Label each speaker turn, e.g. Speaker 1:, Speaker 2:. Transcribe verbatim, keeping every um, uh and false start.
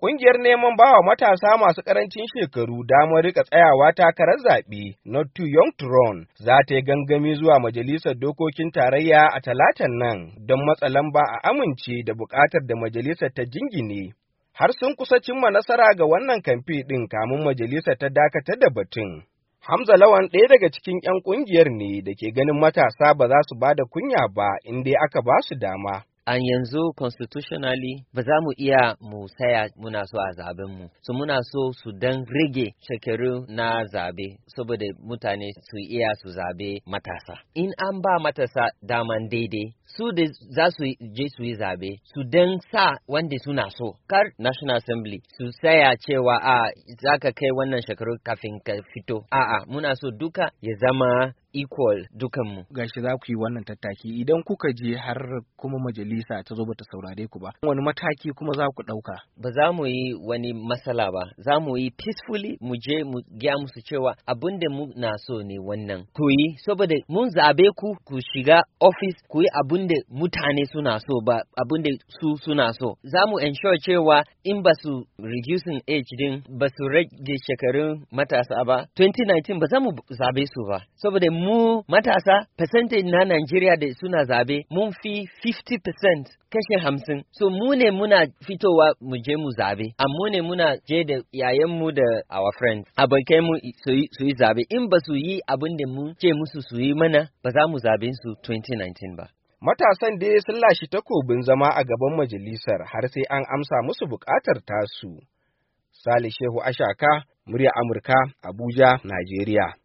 Speaker 1: Ƙungiyar neman bawa matasa masu ƙarancin shekaru damar rika tsayawa takarar zaɓe, Not Too Young to Run, za ta yi gangami zuwa Majalisar Dokokin Tarayya a Talatan nan don matsa lamba a amince da buƙatar da majalisar ta jingine. Har sun kusa cimma nasara ga wannan kamfe ɗin kamun majalisar ta dakatar da batun. Hamza Lawan ɗaya daga cikin 'yan ƙungiyar ne da ke ganin matasa ba za su ba da kunya ba in dai aka ba su dama.
Speaker 2: An yanzu constitutionally ba za mu iya mu saya muna so a zaben mu, so muna so su dan rage shekaru na zabe saboda mutane su iya su zabe matasa. In an ba matasa daman daidai, su da za su je su yi zabe, su dan sa wanda suna so. Kar National Assembly su saya cewa a za ka kai wannan shekaru kafin ka fito. A'a, muna so duka ya zama equal dukanmu.
Speaker 3: Gashi za ku yi wannan tattaki, idan kuka je har kuma majalisa ta zo bata saurare ku ba, wani mataki kuma za ku ɗauka?
Speaker 2: Ba za mu yi wani matsala ba, za mu yi peacefully, mu je mu gaya musu cewa abin da mu na so ne wannan. Ku yi, saboda mun zabe ku ku shiga office ku yi abin da mutane suna so, ba abin da su suna so. Za mu ensure cewa in ba su reducing age din, ba su rage shekarun matasa ba, dubu biyu da sha tara ba za mu zabe su ba. Saboda mu matasa, percentage na Nigeria da suna zabe mun fi kashi hamsin, kashe hamsin. So mu ne muna fitowa mu je mu zabe, amma ne muna je da yayanmu da our friends, abokai mu, su yi zabe. In ba su yi abin da mu ce musu su yi mana ba, za mu zabe su dubu biyu da sha tara ba.
Speaker 1: Matasan dai sun lashi takobin zama a gaban majalisar har sai an amsa musu buƙatar tasu. Sale Shehu Ashaka, murya Amurka, Abuja, Najeriya.